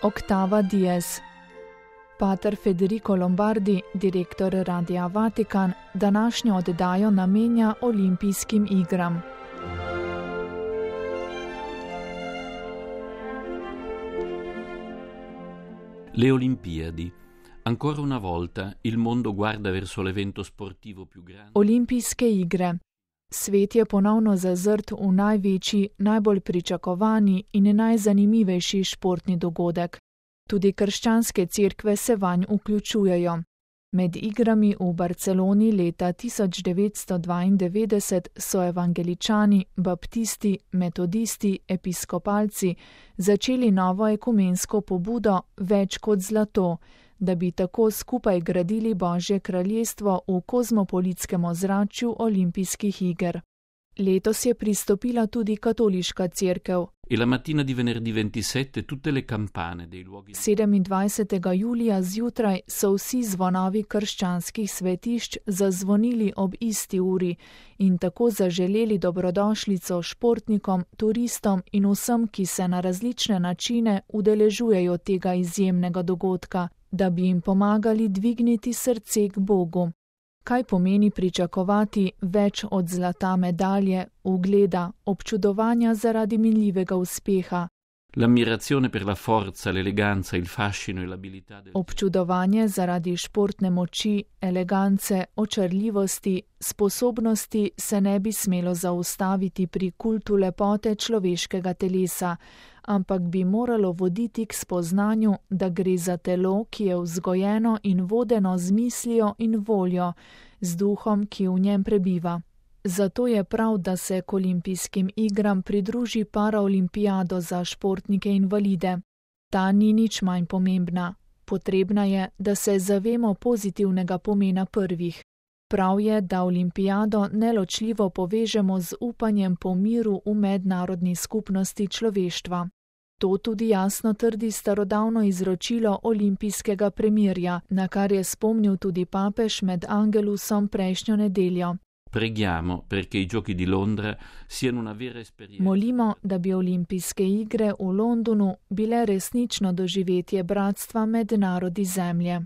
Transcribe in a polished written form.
Octava Dies. Pater Federico Lombardi, direktor Radia Vatikan, današnjo oddajo namenja olimpijskim igram. Le Olimpiadi. Ancora una volta il mondo guarda verso l'evento sportivo più grande. Olimpijske igre. Svet je ponovno zazrt v največji, najbolj pričakovani in najzanimivejši športni dogodek. Tudi krščanske cerkve se vanj vključujejo. Med igrami v Barceloni leta 1992 so evangeličani, baptisti, metodisti, episkopalci začeli novo ekumensko pobudo Več kot zlato, da bi tako skupaj gradili Božje kraljestvo v kozmopolitskem ozračju olimpijskih iger. Letos je pristopila tudi katoliška cerkev. E la mattina di venerdì 27 tutte le campane dei luoghi 27. julija zjutraj so vsi zvonovi krščanskih svetišč zazvonili ob isti uri in tako zaželeli dobrodošlico športnikom, turistom in vsem, ki se na različne načine udeležujejo tega izjemnega dogodka, da bi jim pomagali dvigniti srce k Bogu. Kaj pomeni pričakovati več od zlata medalje, ugleda, občudovanja zaradi minljivega uspeha? L'ammirazione per la forza, l'eleganza, il fascino e l'abilità del Občudovanje zaradi športne moči, elegance, očarljivosti, sposobnosti se ne bi smelo zaustaviti pri kultu lepote človeškega telesa, ampak bi moralo voditi k spoznanju, da gre za telo, ki je vzgojeno in vodeno z mislijo in voljo, z duhom, ki v njem prebiva. Zato je prav, da se k olimpijskim igram pridruži paraolimpijado za športnike invalide. Ta ni nič manj pomembna. Potrebna je, da se zavemo pozitivnega pomena prvih. Prav je, da olimpijado neločljivo povežemo z upanjem po miru v mednarodni skupnosti človeštva. To tudi jasno trdi starodavno izročilo olimpijskega premirja, na kar je spomnil tudi papež med Angelusom prejšnjo nedeljo. Preghiamo perché i giochi di Londra siano una vera esperienza. Molimo, da bi olimpijske igre v Londonu bile resnično doživetje bratstva med narodi zemlje.